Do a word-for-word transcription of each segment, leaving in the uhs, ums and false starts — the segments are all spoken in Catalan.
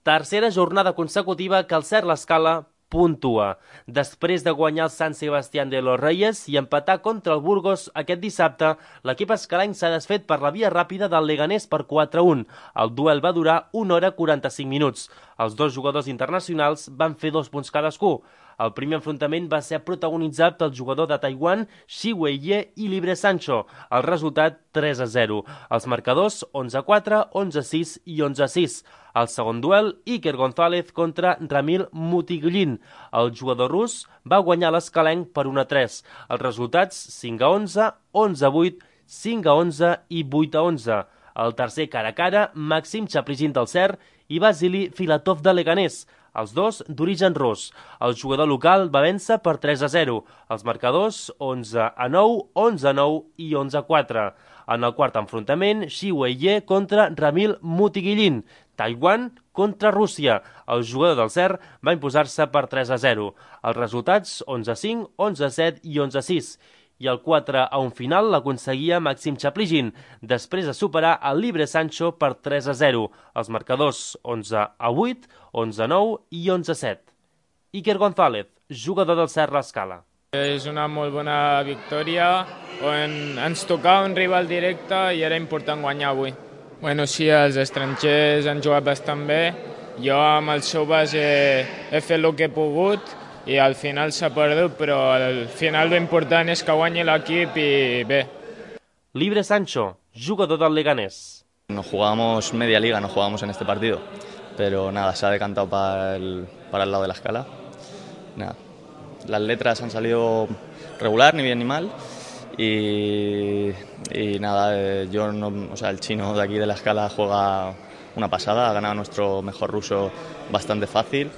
Tercera jornada consecutiva que el Cerro L'Escala puntua. Després de guanyar el Sant Sebastián de los Reyes i empatar contra el Burgos aquest dissabte, l'equip escalenc s'ha desfet per la via ràpida del Leganés per quatre a un. El duel va durar una hora quaranta-cinc minuts. Els dos jugadors internacionals van fer dos punts cadascú. El primer enfrontament va ser protagonitzat pel jugador de Taiwan, Shi Wei-ye i Libre Sancho. El resultat tres a zero. Els marcadors onze a quatre, onze a sis i onze a sis. Al segon duel, Iker González contra Ramil Mutigullin. El jugador rus va guanyar l'escalenc per un a tres. Els resultats cinc a onze, onze a vuit, cinc a onze i vuit a onze. El tercer cara a cara, Maxim Chaplygin del Cer i Vasily Filatov de Leganés. Els dos d'origen rus. El jugador local va vèncer per tres a zero. Els marcadors onze a nou, onze a nou i onze a quatre. En el quart enfrontament, Shi Wei-ye contra Ramil Mutigullin. Taiwan contra Rússia. El jugador del Cer va imposar-se per tres a zero. Els resultats onze a cinc, onze a set i onze a sis. I el quatre a un final l'aconseguia Maxim Chaplygin, després de superar el Libre Sancho per tres a zero. Els marcadors onze a vuit, onze a nou i onze a set. Iker González, jugador del Cerro L'Escala. És una molt bona victòria on ens tocava un rival directe i era important guanyar avui. Bueno, sí, els estrangers han jugat bastant bé. Jo amb els joves he, he fet el que he pogut i al final s'ha perdut, però al final l'important és que guanyi l'equip i bé. Libre Sancho, jugador del Leganés. Nos jugamos media liga, no jugamos en este partido, pero nada, se ha decantado para el, para el lado de la escala. Nada, las letras han salido regular, ni bien ni mal, y, y nada, eh, yo no, o sea, el chino de aquí de la escala juega una pasada, ha ganado nuestro mejor ruso bastante fácil.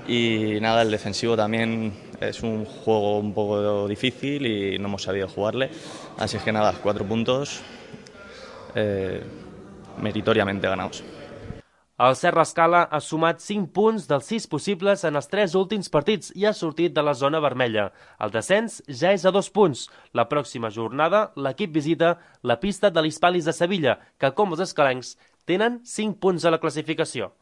Y nada, el defensivo también es un juego un poco difícil y no hemos sabido jugarle. Así es que nada, cuatro puntos eh, meritoriamente ganados. El Cerro L'Escala ha sumat cinc punts dels sis possibles en els tres últims partits i ha sortit de la zona vermella. El descens ja és a dos punts. La pròxima jornada l'equip visita la pista de l'Hispalis de Sevilla, que com els escalencs tenen cinc punts a la classificació.